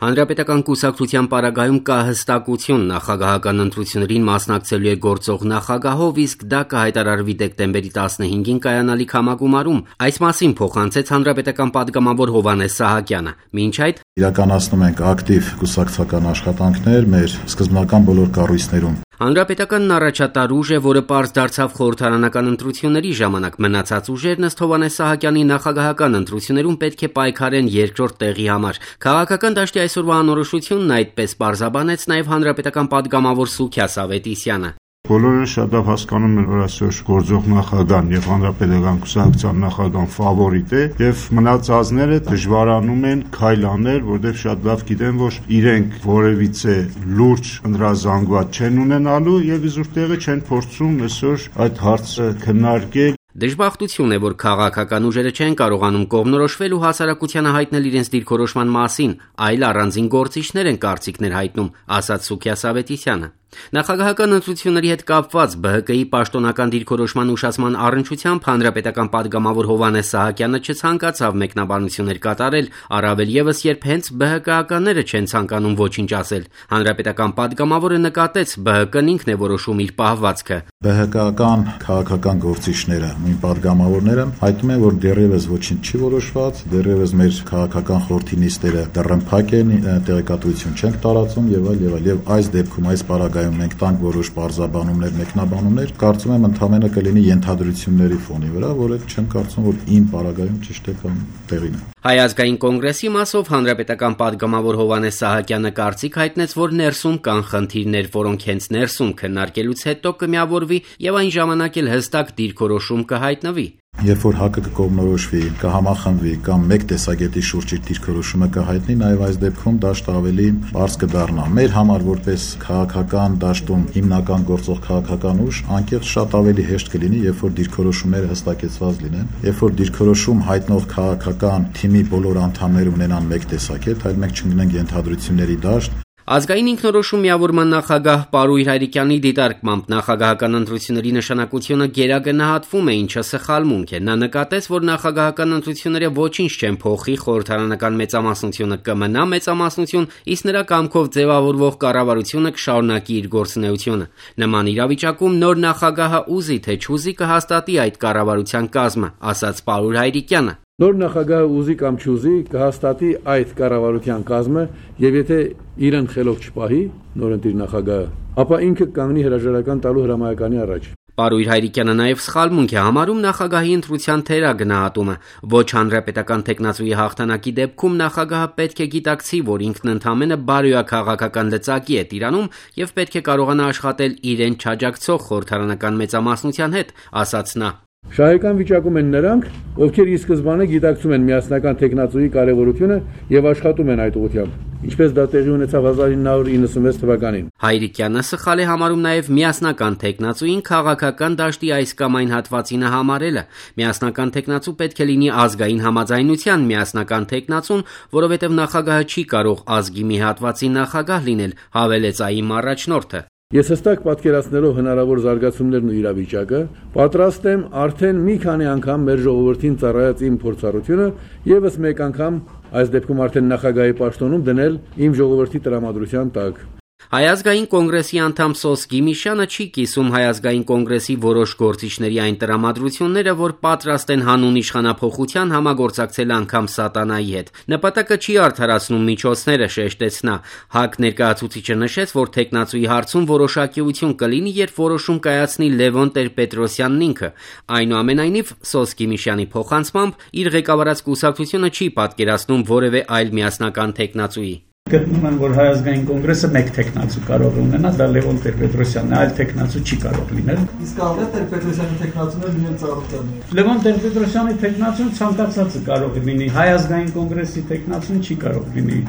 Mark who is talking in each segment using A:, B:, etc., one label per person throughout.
A: Հանրապետական կուսակցության պարագայում կա հստակություն նախագահական ընտրություններին մասնակցելու է գործող նախագահով, իսկ դա կհայտարարվի դեկտեմբերի 15-ին կայանալիք համագումարում։ Այս մասին փոխանցեց հանրապետական պատգամավոր Հովհաննես Սահակյանը։ Մինչ այդ
B: իրականացնում ենք ակտիվ կուսակցական աշխատանքներ մեր սկզբնական բոլոր կառույցներում։
A: Հանրապետականն առաջատար ուժ է, որը պարզ դարձավ խորհրդարանական ընտրությունների ժամանակ։ Մնացած ուժերն ըստ Հովհաննես Սահակյանի նախագահական ընտրություններում պետք է պայքարեն երկրորդ տեղի համար։ Քաղաքական դաշտի այսօրվա անորոշությունն այդպես պարզաբանեց նաև հանրապետական պատգամավոր Սուքիաս Ավետիսյանը։
C: Բոլորը շատ լավ հասկանում են, որ այսօր գործող նախագահան եւ հանրապետական կուսակցության նախագահան ֆավորիտ է եւ մնացածները դժվարանում են քայլ անել, որովհետեւ շատ լավ գիտեն, որ իրենք որևիցե լուրջ ընդրազանգված չեն ունենալու եւ իզուր տեղը չեն փորձում այսօր այդ հարցը քննարկել։
A: Դժբախտություն է, որ քաղաքական ուժերը չեն կարողանում կողմնորոշվել ու հասարակությանը հայտնել իրենց դիրքորոշման մասին, այլ առանձին գործիչներ են կարծիքներ հայտնում, ասաց Սուքիաս Ավետիսյանը։ Նախագահական ընտրությունների հետ կապված ԲՀԿ-ի պաշտոնական դիրքորոշման ուշացման առնչությամբ հանրապետական պատգամավոր Հովհաննես Սահակյանը չցանկացավ մեկնաբանություններ կատարել, առավել եւս երբ հենց ԲՀԿ-ականները չեն ցանկանում ոչինչ ասել։ Հանրապետական պատգամավորը նկատեց, ԲՀԿ-ն ինքն է որոշում իր պահվածքը։
B: ԲՀԿ-ական քաղաքական գործիչները, նույն պատգամավորները հայտնում են, որ դեռևս ոչինչ չի որոշված, դեռևս մեր քաղաքական խորհրդի նիստերը դեռնփակ են, տեղեկատվություն չենք տարածում եւ այլ եւ այս դեպքում այս պարագայում մենք տանք որոշ բարձաբանումներ, մեկնաբանումներ, կարծում եմ ընդհանրապես կլինի ենթադրությունների ֆոնի վրա, որը չեմ կարծում, որ իմ պարագայում ճիշտ է կամ տեղին է։
A: Հայ ազգային կոնգրեսի մասով հանրապետական պատգամավոր Հովհաննես Սահակյանը կարծիք հայտնեց, որ ներսում կան խնդիրներ, որոնք հենց ներսում քննարկելուց հետո կմիավորվի եւ այն ժամանակ էլ հստակ դիրքորոշում կհայտնվի։
B: Երբ որ ՀԱԿ-ը կկողմնորոշվի, կհամախմբվի կամ մեկ տեսակետի շուրջ իր դիրքորոշումը կհայտնի, նաև այս դեպքում դաշտը ավելի բարձ կդառնա։ Մեր համար որպես քաղաքական դաշտում հիմնական գործող քաղաքական ուժ, անկեղծ շատ ավելի հեշտ կլինի, երբ որ դիրքորոշումները հստակեցված լինեն, երբ որ դիրքորոշում հայտնող քաղաքական թիմի բոլոր անդամները ունենան մեկ տեսակետ, այլ մենք չունենանք ենթադրությունների դաշտ։
A: Ազգային ինքնորոշում միավորման նախագահ Պարույր Հայրիկյանի դիտարկմամբ նախագահական ընտրությունների նշանակությունը գերագնահատվում է, ինչը սխալմունք է։ Նա նկատեց, որ նախագահական ընտրությունները ոչինչ չեն փոխի, խորհրդարանական մեծամասնությունը կմնա մեծամասնություն, իսկ նրա կամքով ձևավորվող կառավարությունը կշարունակի իր գործունեությունը։ Նման իրավիճակում նոր նախագահը ուզի թե չուզի կհաստատի այդ կառավարության կազմը, ասաց Պարույր Հայրիկյանը։
D: Նոր նախագահը ուզի կամ չուզի կհաստատի այդ կառավարության կազմը եւ եթե իրեն խելոք չպահի նորընտիր նախագահը, ապա ինքը կանգնի հրաժարական տալու հրամայականի առաջ։
A: Պարույր Հայրիկյանը նաև սխալմունք է համարում նախագահի ընտրության թերագնահատումը։ Ոչ հանրապետական տեխնացուի հաղթանակի դեպքում նախագահը պետք է գիտակցի, որ ինքն ընդամենը բարոյաքաղաքական լծակի է տիրանում եւ պետք է կարողանա աշխատել իրեն չաջակցող խորհրդարանական մեծամասնության հետ, ասաց նա։
D: Շահեկան վիճակում են նրանք, ովքեր ի սկզբանե գիտակցում են միասնական տեխնացուի կարևորությունը եւ աշխատում են այդ ուղղությամբ, ինչպես դա տեղի ունեցավ 1996 թվականին։
A: Հայրիկյանը սխալ է համարում նաեւ միասնական տեխնացուին քաղաքական դաշտի այս կամ այն հատվածինը համարելը։ Միասնական տեխնացու պետք է լինի ազգային համաձայնության միասնական տեխնացուն, որովհետեւ նախագահը չի կարող ազգի մի հատվածի նախագահ լինել, հավելեց ԱԻՄ առաջնորդը։
D: Ես հստակ պատկերացնելով հնարավոր զարգացումներն ու իրավիճակը, պատրաստ եմ արդեն մի քանի անգամ մեր ժողովրդին ծառայած իմ փորձառությունը եւս մեկ անգամ այս դեպքում արդեն նախագահի պաշտոնում դնել իմ ժողովրդի տրամադրության տակ։
A: Հայ ազգային կոնգրեսի անդամ Սոս Գիմիշյանը չի կիսում Հայ ազգային կոնգրեսի որոշ գործիչների այն տրամադրությունները, որ պատրաստ են հանուն իշխանափոխության համագործակցել անգամ սատանայի հետ։ Նպատակը չի արդարացնում միջոցները, շեշտեց նա։ ՀԱԿ ներկայացուցիչը նշեց, որ տեխնացուի հարցում որոշակիություն կլինի, երբ որոշում կայացնի Լևոն Տեր-Պետրոսյանն ինքը։ Այնուամենայնիվ, Սոս Գիմիշյանի փոխանցմամբ իր ղեկավարած կուսակցությունը չի պատկերացնում որևէ այլ միասնական տեխնացուի։
E: Գտնում եմ, որ Հայ ազգային կոնգրեսը մեկ տեխնացու կարող է ունենալ, դա Լևոն Տեր-Պետրոսյանն է, այլ տեխնացու չի կարող լինել։
F: Իսկ կարող է Տեր-Պետրոսյանի տեխնացուները լինեն ծառայական։
E: Լևոն Տեր-Պետրոսյանի տեխնացուն ցանկացածը կարող է լինի, Հայ ազգային կոնգրեսի տեխնացուն չի կարող լինի։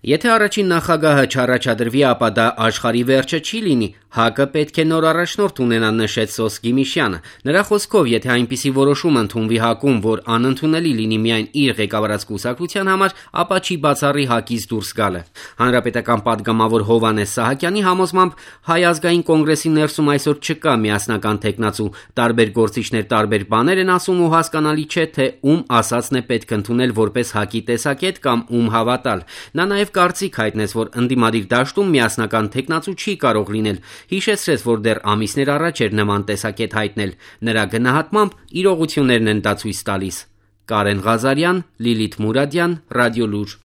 A: Եթե առաջին նախագահը չառաջադրվի, ապա դա աշխարհի վերջը չի լինի։ ՀԱԿ-ը պետք է նոր առաջնորդ ունենա, նշեց Սոս Գիմիշյանը։ Նրա խոսքով, եթե այնպիսի որոշում ընդունվի ՀԱԿ-ում, որ անընդունելի լինի միայն իր ղեկավարած կուսակցության համար, ապա չի բացառի ՀԱԿ-ից դուրս գալը։ Հանրապետական պատգամավոր Հովհաննես Սահակյանի համոզմամբ Հայ ազգային կոնգրեսի ներսում այսօր չկա միասնական տեխնացու, տարբեր գործիչներ տարբեր բաներ են ասում ու հասկանալի չէ, թե ում ասածն է պետք ընդունել որպես ՀԱԿ-ի տեսակետ կամ ում հավատալ։ Նա նաև նաև կարծիք հայտնեց, որ ընդդիմադիր դաշտում միասնական թեկնածու չի կարող լինել, հիշեցրեց, որ դեռ ամիսներ առաջ էր նման տեսակետ հայտնել, նրա գնահատմամբ իրողություններն են դա ցույց տալիս։ Կարեն Ղազարյան, Լիլիթ Մուրադյան, Ռադիոլուր։